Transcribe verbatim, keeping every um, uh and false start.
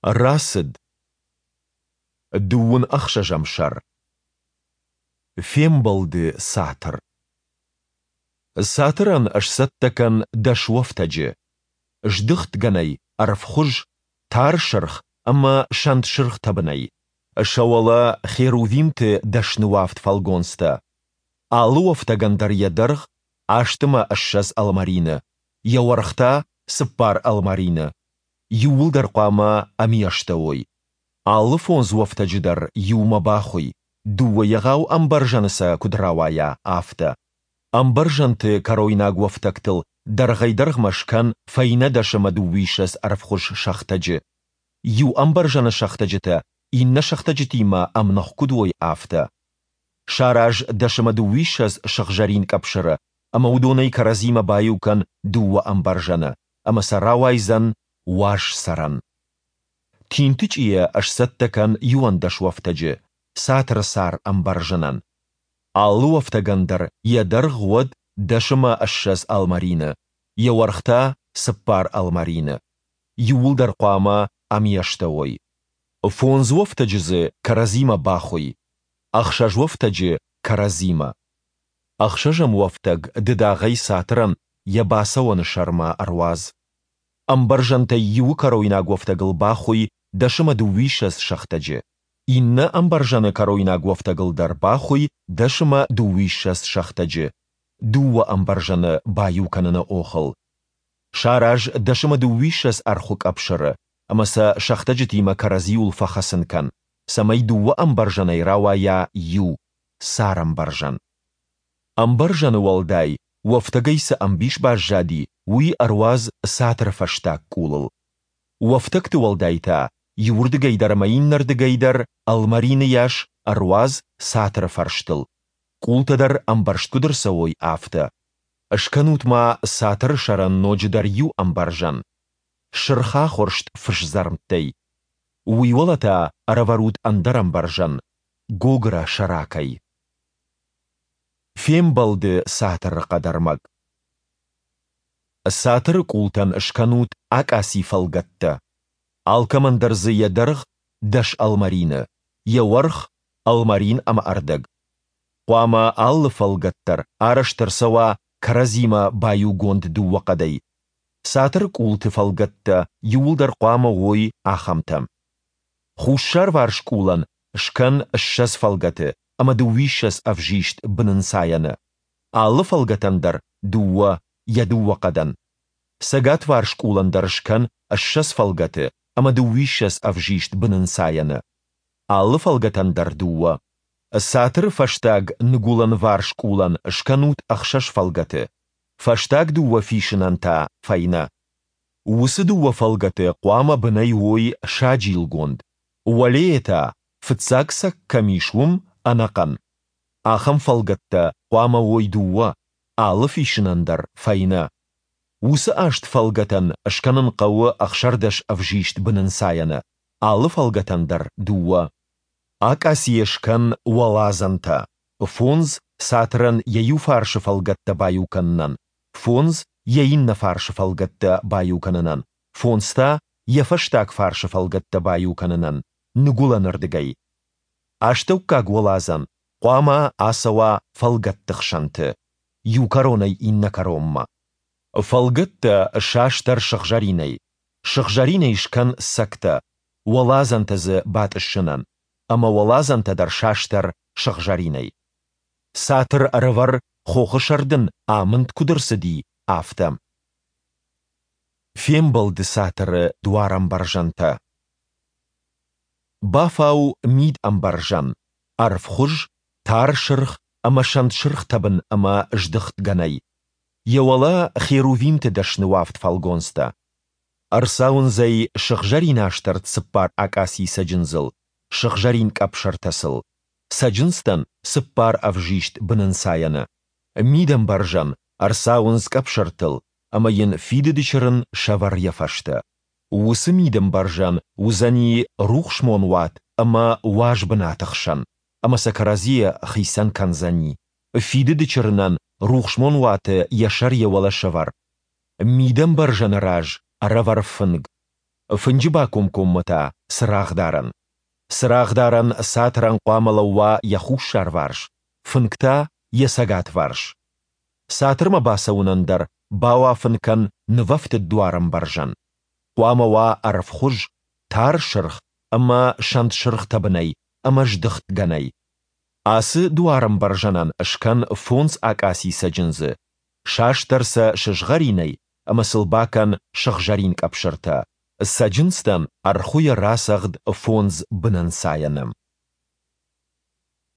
Рацыд. Дыууын ӕхсӕзӕм сӕр. Фембӕлды цатыр. Цатырӕн сцӕттӕ кӕн дӕс уӕфтӕджы, здыхт гӕнӕй, ӕрвхуыз, тар сырх ӕмӕ сӕнтсырх тӕбынӕй, сӕ уӕлӕ херувимты дӕсны уӕфт фӕлгонцтӕ. Алы уӕфтӕгӕн дӕр йӕ дӕргъ аст ӕмӕ ссӕдз ӕлмӕрины, йӕ уӕрх та цыппар ӕлмӕрины. Иууылдӕр хъуамӕ ӕмиӕстӕ уой. Алы фондз уӕфтӕджы дӕр иумӕ бахуый, дыууӕ егъау ӕмбӕрзӕны сӕ куыд рауайа, афтӕ. Ӕмбӕрзӕнты кӕройнаг уӕфтӕгтыл дӕргъӕй-дӕргъмӕ скӕн фӕйнӕ дӕс ӕмӕ дыууиссӕдз ӕрвхуыз сӕхтӕджы. Иу ӕмбӕрзӕны сӕхтӕджытӕ иннӕ сӕхтӕджытимӕ ӕмных куыд уой, афтӕ. Сараз дӕс ӕмӕ дыууиссӕдз сыгъзӕрин къӕпсыры ӕмӕ уыдонӕй кӕрӕдзимӕ баиу кӕн дыууӕ ӕмбӕрзӕны, ӕмӕ сӕ рауайдзӕн уаз цӕрӕн. Тинтычъийӕ сцӕттӕ кӕн иуӕндӕс уӕфтӕджы цатыры сӕр ӕмбӕрзынӕн. Алы уӕфтӕгӕн дӕр йӕ дӕргъ уӕд дӕс ӕмӕ ссӕдз ӕлмӕрины, йӕ уӕрх та цыппар ӕлмӕрины. Иууылдӕр хъуамӕ ӕмиӕстӕ уой. Фондз уӕфтӕджы дзы кӕрӕдзимӕ бахуый, ӕхсӕз уӕфтӕджы кӕрӕдзимӕ. Ӕхсӕзӕм уӕфтӕг дыдагъӕй цатырӕн йӕ бацӕуӕны сӕрмӕ ӕруадз. Ӕмбӕрзӕнтӕй иуы кӕройнаг уӕфтӕгыл бахуый дӕс ӕмӕ дыууиссӕдз сӕхтӕджы, иннӕ ӕмбӕрзӕны кӕройнаг уӕфтӕгыл дӕр бахуый дӕс ӕмӕ дыууиссӕдз сӕхтӕджы, дыууӕ ӕмбӕрзӕны баиу кӕныны охыл. Сараз дӕс ӕмӕ дыууиссӕдз ӕрхуы къӕпсыры ӕмӕ сӕ сӕхтӕджытимӕ кӕрӕдзиуыл фӕхӕцын кӕн, цӕмӕй дыууӕ ӕмбӕрзӕнӕй рауайа иу царӕмбӕрзӕн. Ӕмбӕрзӕны уӕлдай уӕфтӕгӕй цы ӕмбис баззади, уый ӕруадз цатыры фӕстаг къулыл. Уӕфтӕгты уӕлдай та, иуырдыгӕй дӕр ӕмӕ иннӕрдыгӕй дӕр ӕлмӕрины йас ӕруадз цатыры фӕрстыл, къултӕ дӕр ӕмбӕрзт куыд ӕрцӕуой, афтӕ. Скӕнут ма цатыры сӕрӕн ноджыдӕр иу ӕмбӕрзӕн сырхахуырст фысдзӕрмттӕй. Уый уӕлӕ та ӕрӕвӕрут ӕндӕр ӕмбӕрзӕн гогыра сӕракӕй. Фембӕлды цатыры хъӕдӕрмӕг. Цатыры къултӕн скӕнут акъаци фӕлгӕттӕ. Алкӕмӕн дӕр дзы йӕ дӕргъ дӕс ӕлмӕрины, йӕ уӕрх ӕлмӕрин ӕмӕ ӕрдӕг. Хъуамӕ алы фӕлгӕт дӕр арӕзт ӕрцӕуа кӕрӕдзимӕ баиугонд дыууӕ хъӕдӕй. Цатыры къулты фӕлгӕттӕ иууылдӕр хъуамӕ уой ахӕмтӕ. Хуссарварс къулӕн скӕн ссӕдз фӕлгӕты ӕмӕ дыууиссӕдз ӕвзист бынӕнцайӕны. Алы фӕлгӕтӕн дӕр дыууӕ, йӕ дыууӕ хъӕдӕн. Цӕгатварс къулӕн дӕр скӕн ссӕдз фӕлгӕты ӕмӕ дыууиссӕдз ӕвзист бынӕнцайӕны. Алы фӕлгӕтӕн дӕр дыууӕ. Цатыры фӕстаг ныгуылӕнварс къулӕн скӕнут ӕхсӕз фӕлгӕты, фӕстаг дыууӕ фисынӕн та фӕйнӕ. Уыцы дыууӕ фӕлгӕты хъуамӕ бынӕй уой саджилгонд, уӕлейӕ та, фыццаг цӕг кӕм ис, уым, ӕнӕхъӕн. Ахӕм фӕлгӕттӕ хъуамӕ уой дыууӕ, алы фисынӕн дӕр фӕйнӕ. Уыцы аст фӕлгӕтӕн скӕнын хъӕуы ӕхсӕрдӕс ӕвзист бынӕнцайӕны, алы фӕлгӕтӕн дӕр дыууӕ. Акъацийӕ скӕн уӕладзӕнтӕ, фондз цатырӕн йӕ иу фарсы фӕлгӕттӕ баиу кӕнынӕн, фондз йӕ иннӕ фарсы фӕлгӕттӕ баиу кӕнынӕн, фондз та йӕ фӕстаг фарсы фӕлгӕттӕ баиу кӕнынӕн, ныгуылӕнырдыгӕй. Астӕуккаг уӕладзӕн хъуамӕ ацӕуа фӕлгӕтты хсӕнты, иу кӕронӕй иннӕ кӕронмӕ. Фӕлгӕттӕ састӕр сыгъзӕринӕй, сыгъзӕринӕй скӕн цӕгтӕ, уӕладзӕнтӕ дзы батъыссынӕн, ӕмӕ уӕладзӕнтӕ дӕр састӕр сыгъзӕринӕй. Цатыр ӕрӕвӕр, хохы сӕр дын амынд куыд ӕрцыди, афтӕ. Фембӕлды цатыры дуарӕмбӕрзӕнтӕ. Бафау мидӕмбӕрзӕн, ӕрвхуыз, тар сырх ӕмӕ сӕнтсырх тӕбын ӕмӕ здыхт гӕнӕй. Йӕ уӕлӕ херувимты дӕсны уӕфт фӕлгонцтӕ. Ӕрцауындз ӕй сыгъзӕринастӕрд цыппар акъаци цӕджындзыл, сыгъзӕрин къӕпсыртӕ сыл, цӕджындзтӕн цыппар ӕвзист бынӕнцайӕны. Мидӕмбӕрзӕн ӕрцауындз къӕпсыртыл ӕмӕ йын фидыды чырын сӕвӕр йӕ фӕстӕ. Уыцы мидӕмбӕрзӕн уыдзӕни рухсмонуат ӕмӕ уаз бынаты хсӕн, ӕмӕ сӕ кӕрӕдзийӕ хицӕн кӕндзӕни. Фидыды чырынӕн рухсмонуаты йӕ сӕр йӕ уӕлӕ сӕвӕр. Мидӕмбӕрзӕны раз ӕрӕвӕр фынг. Фынджы бакомкоммӕ та, цырагъдарӕн. Цырагъдарӕн цатырӕн хъуамӕ лӕууа йӕ хуссарварс, фынг та, йӕ цӕгатварс. Цатырмӕ бацӕуынӕн дӕр бауафын кӕн нывӕфтыд дуарӕмбӕрзӕн. Хъуамӕ уа ӕрвхуыз, тар сырх ӕмӕ сӕнтсырх тӕбынӕй ӕмӕ здыхт гӕнӕй. Ацы дуарӕмбӕрзӕнӕн скӕн фондз акъаци цӕджындзы, састӕр сӕ сызгъӕринӕй ӕмӕ сыл бакӕн сыгъзӕрин къӕпсыртӕ. Цӕджындзтӕн ӕрхуыйӕ рацӕгъд фондз бынӕнцайӕны.